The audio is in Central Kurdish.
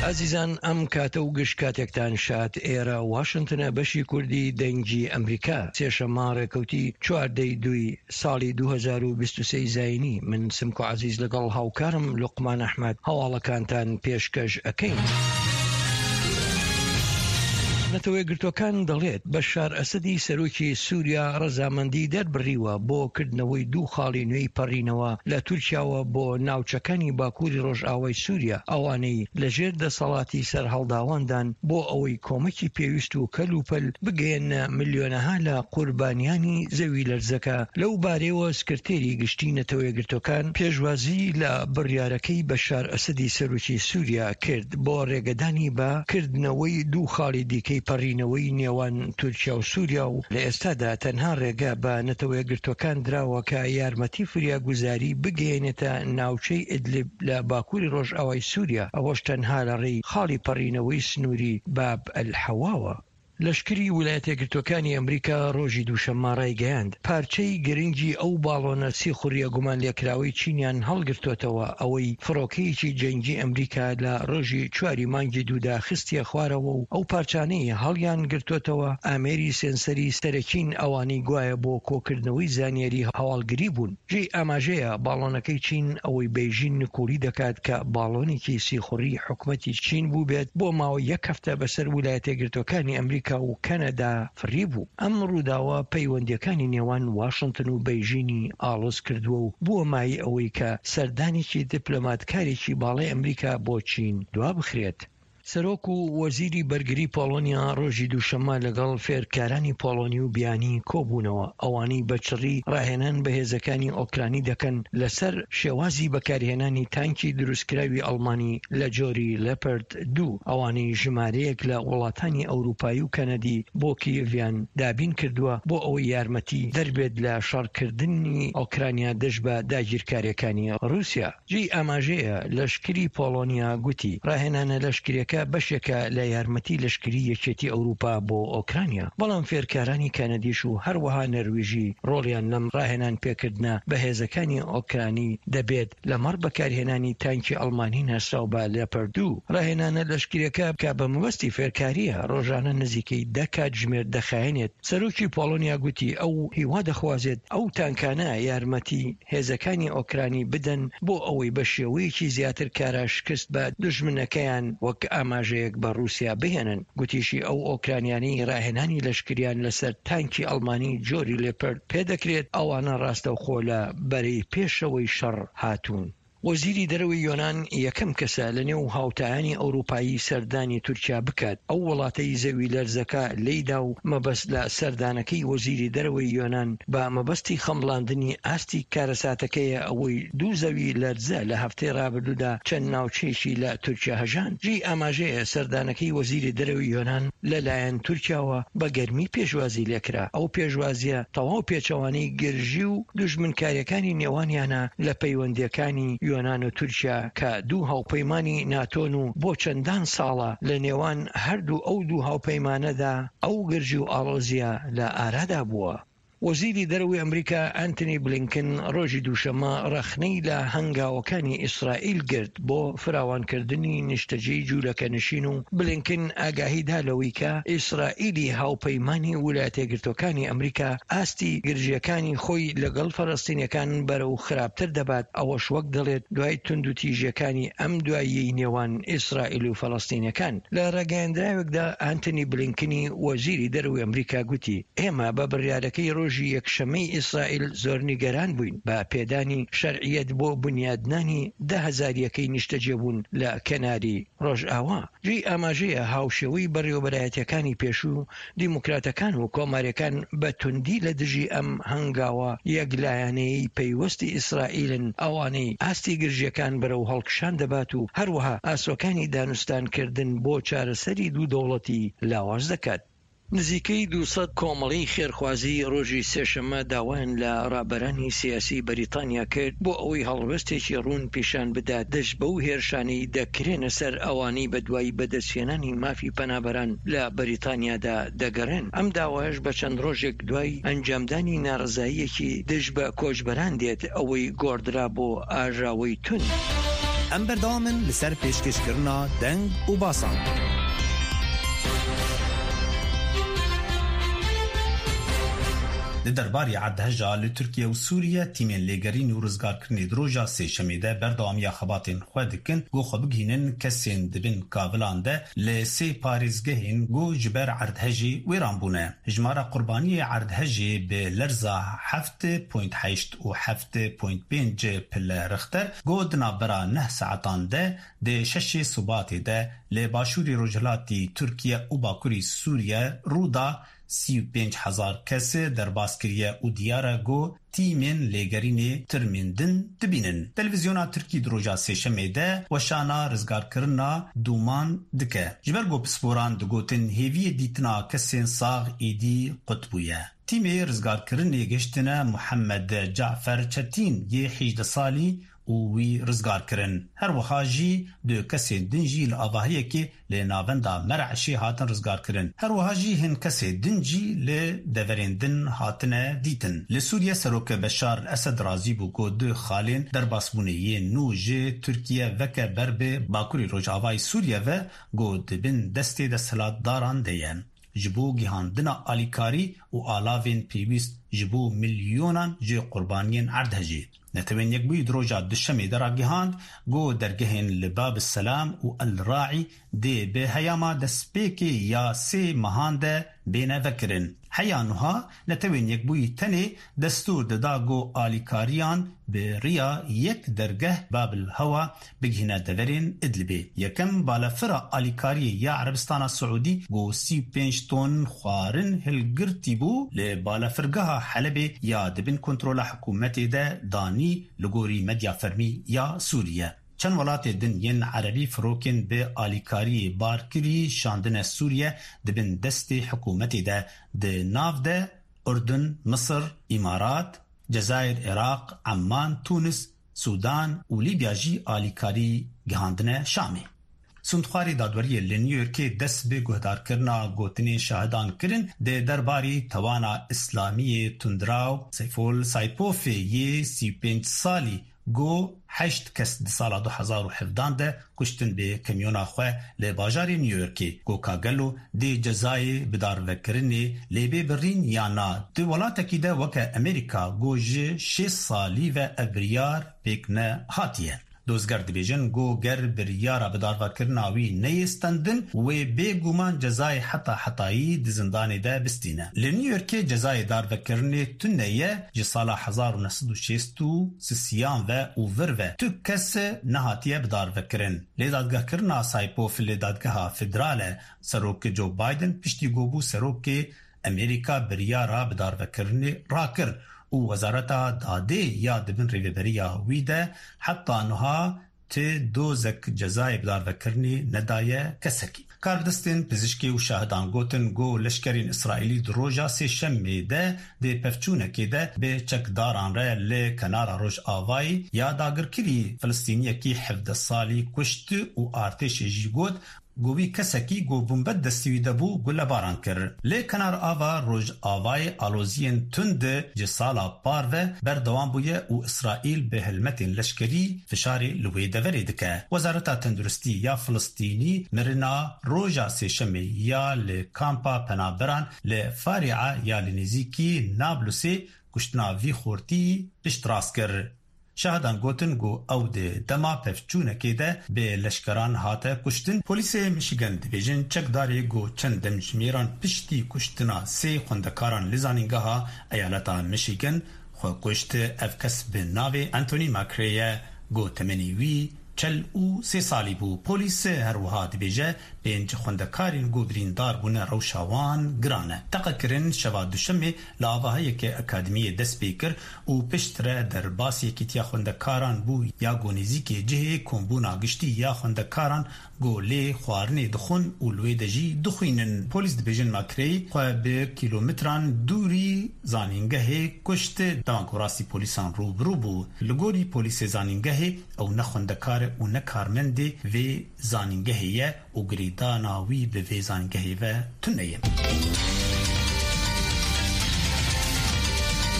ئازیزان ئەم کاتە و گشت کاتێکتان شاد ئێرە واشنتنە بەشی کوردی دەنگی ئەمریکا سێشەممە ڕێکەوتی چواردەی دووی ساڵی 2023 زینی من سمکۆ عزیز لەگەڵ هاوکارم لوقمان ئەحمد هەواڵەکانتان پێشکەش ئەکەین. نەتەوەیەکگرتووەکان دەڵێت، بەشار ئەسەدی سەرۆکی سووریا ڕەزامەندی دەربڕیوە بۆ کردنەوەی دوو خاڵی نوێی پەڕینەوە لە تورکیاوە بۆ ناوچەکانی باکووری ڕۆژئاوای سووریا، ئەوانەی لەژێر دەسەڵاتی سەرهەڵداواندان بۆ ئەوەی کۆمەکی پێویست و کەلوپەل بگەیەننە ملیۆنەها لە قوربانیانی زەویلەرزەکە. لەو بارەیەوە سکرتێری گشتی نەتەوەیەکگرتووەکان پێشوازی لە بڕیارەکەی بەشار ئەسەدی سەرۆکی سووریا کرد بۆ رێگەدانی بە کردنەوەی دوو خاڵی دیکەی پەڕینەوەی نێوان تورکیا و سووریا و لە ئێستادا تەنها رێگە بە نەتەوەیەکگرتووەکان دراوە کە یارمەتی فریاگوزاری بگەیەنێتە ناوچەی ئیدلیب لە باکووری رۆژئاوای سووریا، ئەوەش تەنها لە رێی خاڵی پەڕینەوەی سنووری باب ئەلحەواوە. لەشکری ویلایەتەیەکگرتووەکانی ئەمریکا ڕۆژی دووشەممە ڕایگەیاند، پارچەی گرنگی ئەو باڵۆنە سیخوڕییە گومانلێکراوەی چینیان هەڵگرتۆتەوە، ئەوەی فڕۆکەیەکی جەنگی ئەمریکا لە ڕۆژی چواری مانگی دوودا خستیە خوارەوە و ئەو پارچانەی هەڵیانگرتۆتەوە ئامێری سێنسەری سەرەکین ئەوانەی گوایە بۆ کۆکردنەوەی زانیاری هەواڵگری بوون. جێی ئاماژەیە باڵۆنەکەی چین ئەوەی بەیژین نکوڵی دەکات کە باڵۆنێکی سیخوڕی حکومەتی چین بووبێت بۆ ماوەی یەک هەفتە بەسەر ولایەتەیەکگرتووەکانی ئەمریکا و کەنەدا فڕیبوو. ئەم ڕووداوە پەیوەندییەکانی نێوان واشنتن و بەیژینی ئاڵۆز کردووە و بووە مایەی ئەوەی کە سەردانێکی دیپلۆماتکارێکی باڵای ئەمریکا بۆ چین دوابخرێت. سەرۆک و وەزیری بەرگری پۆڵۆنیا ڕۆژی دووشەممە لەگەڵ فێرکارانی پۆڵۆنی و بیانی کۆبوونەوە، ئەوانەی بە چڕی ڕاهێنان بە هێزەکانی ئۆکرانی دەکەن لەسەر شێوازی بەکارهێنانی تانکی دروستکراوی ئەڵمانی لە جۆری لێپەرد دوو، ئەوانەی ژمارەیەک لە وڵاتانی ئەوروپایی و کەنەدی بۆ کیێڤیان دابین کردووە بۆ ئەوەی یارمەتی دەربێت لە شەڕکردنی ئۆکرانیا دژ بە داگیرکارییەکانی ڕووسیا. جێی ئاماژەیە، لەشکری پۆڵۆنیا گوتی، ڕاهێنانە لەشکرییەکە بەشێکە لە یارمەتی لەشکری یەکێتی ئەوروپا بۆ ئۆکرانیا، بەڵام فێرکارانی کەنەدیش و هەروەها نەرویژی ڕۆڵیان لەم ڕاهێنان پێکردنە بە هێزەکانی ئۆکرانی دەبێت لەمەڕ بەکارهێنانی تانکی ئەڵمانی ناسراو بە لێپەرد دوو. ڕاهێنانە لەشکرییەکە کە بە مەبەستی فێرکارییە، ڕۆژانە نزیکەی دە کاتژمێر دەخایەنێت. سەرۆکی پۆڵۆنیا گوتی ئەو هیوا دەخوازێت ئەو تانکانە یارمەتی هێزەکانی ئۆکرانی بدەن بۆ ئەوەی بە شێوەیەکی زیاتر کارا شکست بە دوژمنەکەیان وەک ئاماژەیەک بە ڕووسیا بهێنن. گوتیشی ئەو ئۆکرانیانەی ڕاهێنانی لەشکریان لەسەر تانکی ئەڵمانی جۆری لێپەرد پێدەکرێت ئەوانە ڕاستەوخۆ لە بەرەی پێشەوەی شەڕ هاتوون. وەزیری دەرەوەی یۆنان یەکەم کەسە لە نێو هاوتایانی ئەوروپایی سەردانی تورکیا بکات، ئەو وڵاتەی زەویلەرزەکە لێیدا و مەبەست لە سەردانەکەی وەزیری دەرەوەی یۆنان بە مەبەستی خەمڵاندنی ئاستی کارەساتەکەیە ئەوەی دوو زەوی لەرزە لە هەفتەی رابردوودا چەند ناوچەیەکی لە تورکیا هەژاند. جێی ئاماژەیە سەردانەکەی وەزیری دەرەوەی یۆنان لە لایەن تورکیاوە بە گەرمی پێشوازی لێکرا، ئەو پێشوازیە تەواو پێچەوانەی گرژی و دوژمنکاریەکانی نێوانیانە لە پەیوەندیەکانی یۆنان و تورکیا کە دوو هاوپەیمانی ناتۆن و بۆ چەندان ساڵە لە نێوان هەردوو ئەو دوو هاوپەیمانەدا ئەو گرژی و ئاڵۆزیە لە ئارادا بووە. وەزیری دەرەوەی ئەمریکا ئەنتنی بلینکن ڕۆژی دووشەممە ڕەخنەی لە هەنگاوەکانی ئیسرائیل گرت بۆ فراوانکردنی نیشتەجێی جوولەکەنشین و بلینکن ئاگاهی دا لەوەی کە ئیسرائیلی هاوپەیمانی ولایەتەیەکگرتووەکانی ئەمریکا ئاستی گرژییەکانی خۆی لەگەڵ فەلەستینیەکان بەرەو خراپتر دەبات، ئەوەش وەک دەڵێت دوای توندوتیژیەکانی ئەم دواییەی نێوان ئیسرائیل و فەلەستینیەکان. لە ڕاگەیەندراوێکدا ئانتۆنی بلینکنی وەزیری دەرەوەی ئەمریکا گوتی، ئێمە بە بڕیارەکەی ڕۆژی یەکشەممەی ئیسرائیل زۆر نیگەران بووین بە پێدانی شەرعیەت بۆ بونیادنانی 10,000 یەکەی نیشتەجێبوون لە کەناری ڕۆژئاوا. جێی ئاماژەیە هاوشێوەی بەڕێوەبەرایەتیەکانی پێشوو، دیموکراتەکان و کۆماریەکان بە توندی لە دژی ئەم هەنگاوە یەکلایەنەیەی پەیوەستی ئیسرائیلن ئەوانەی ئاستی گرژیەکان بەرەو هەڵکشان دەبات و هەروەها ئاسۆکانی دانوستانکردن بۆ چارەسەری دوو دەوڵەتی لاواز دەکات. نزیکەی 200 کۆمەڵەی خێرخوازی ڕۆژی سێشەممە داوایان لە ڕابەرانی سیاسی بەریتانیا کرد بۆ ئەوەی هەڵوێستێکی ڕوون پیشان بدات دژ بەو هێرشانەی دەکرێنە سەر ئەوانەی بەدوای بەدەستهێنانی مافی پەنابەران لە بەریتانیادا دەگەڕێن، ئەم داوایەش بە چەند ڕۆژێک دوای ئەنجامدانی ناڕەزاییەکی دژ بە کۆچبەران دێت ئەوەی گۆڕدرا بۆ ئاژاوەی توند. Em berdewam in li ser pêşkêşkirina deng û basan. Di derbarê erdheja li Tirkiye û Sûriye tîmên lêgerîn û rizgarkirinê di roja sêşemê de berdewamiya xebatên xwe dikin ku xwe bigihînin kesên di bin kavilan de li sê parêzgehên ku ji ber erdhejê wêran bûne. Hejmara qurbaniyê erdhejê bi lerza 7.8 û 7.5 pile Rixter ku di navbera neh saetan de di şeşê Sibatê de li başûrê rojhilatî Tirkiye û bakurî Sûriye rû da 35 hezar kes derbas kiriye û diyar e ku tîmên lêgerînê tirmên din dibînin. Televîzyona Tirkî di roja sêşemê de weşana rizgarkirina dûman dike. Ji ber ku pisporan digotin hêviyê dîtina kesên sax êdî qut bûye. Tîmê rizgarkirinê gihiştine Muhammed Cafer Çetîn yê 18 salî û wî rizgar kirin. Her wiha jî du kesên din jî li avahiyekê li navenda Mereşê hatin rizgarkirin. Her wiha jî hin kesê din jî li deverên din hatine dîtin. Li Sûriye Serok Beşar Esed razî bû ku du xalên derbasbûnê yên nû ji Tirkiye veke ber bi bakurê Rojavayê Sûriye ve ku di bin destê desthilatdaran de ye. Ji bo gihandina alîkarî û alavên pêwîst ji bo milyonan ji qurbaniyên erdhejê. Netewên Yekbûyî di roja duşemê de ragihand ku dergehên li Bab Selam û El Raî dê bi heyama destpêkê ya sê mehan de bêne vekirin. Heya nuha Netewên Yekbûyî tenê destûr dida ku alîkariyan bi riya yek dergeh Bab El Hewa bigihîne deverên Idlibê. Yekem balafira alîkariyê ya Erebistana Siûdî ku 35 ton xwarin hilgirtî bû li balafirgeha Helebê ya di bin kontrola hikûmetê de danî li gorî medya fermî ya Sûriye. Çend welatê din yên Erebî firokên bi alîkariyê barkirî şandine Sûriye di bin destê hikûmetê de di nav de Urdun, Misir, Îmarat, Cezayir, Iraq, Emman, Tunis, Sudan û Lîbya jî alîkarî gihandine Şamê. Sundxwarê dadweriyê li New Yorkê dest bi guhdarkirina gotinên şahidan kirin di derbarî tewana Îslamiyê tundraw Seyfol Saypofê yê 35 salî ku heşt kes di sala 2017 de kuştin bi kamyona xwe li bajarê New Yorkê ku ka gelo dê cezayê bidarvekirinê lê bê birîn ya na di welatekî de weke Amerîka ku ji şêst salî ve ev biryar pêk nehatiye. Dozger dibêjin ku ger biryara bidarvekirina wî neyê stendin wê bêguman cezayê heta hetayî di zindanê de bistîne. Li New Yorkê cezayê darvekirinê tune ye ji sala 1963 ve û vir ve tu kes nehatiye bidarvekirin. Lê dadgehkirina Saypof li dadgeha federal e Serok Joe Biden piştî ku bû serokê Amerîka biryara bidarvekirinê rakir û Wezareta Dadê ya di bin rêveberiya wî de heta niha ti dozek cezayê bidarvekirinê nedaye kesekî. Karbidestên pizîşkê û şahidan gotin ku leşkerên Îsraîlî di roja sêşemê de di pevçûnekê de bi çekdaran re li kenara Rojavayê ya dagirkirî Filistîniyekî 17 salî kuşt û artêşê jî got ku wî kesekî ku bombe destî wî de bû gulebaran kir. Lê kenar ava Rojavayê aloziyên tund ji sala par ve berdewam bûye û Îsraîl bi helmetên leşkerî fişarê li wê deverê dike. Wezareta Tenduristî ya Filistînî mirina roja sêşemê ya li kampa penaberan li Farîa ya li nêzîkî Nablusê kuştina vî xortî piştrast kir. Şahidan gotin ku ew di dema pevçûnekê de bi leşkeran hate kuştin. Polîsê Michigan dibêjin çekdarê ku çend demjimêran piştî kuştina sê xwendekaran li zanîngeha eyaleta Michigan xwe kuşt ev kes bi navê Anthony McRae ye ku temenê wî 43 salî bû. Polîs her wiha dibêje pênc xwendekarên ku birîndar bûne rewşa wan giran e. Teqekirin şeva duşemê li avahiyeke akademiyê dest pê kir û piştre derbasî Yekîtiya Xwendekaran bû ya ku nêzîkê cihê kombûna giştî ya xwendekaran ku lê xwarinê dixwin û li wê de jî dixwînin. Polîs dibêjin McRae xwe bi kîlometran dûrî zanîngehê kuşt dema ku rastî polîsan rûbirû bû. Li gorî polîsê zanîngehê ew ne xwendekar e û ne karmendê vê zanîngehê ye û girêdana wî bi vê zanîngehê ve tune ye.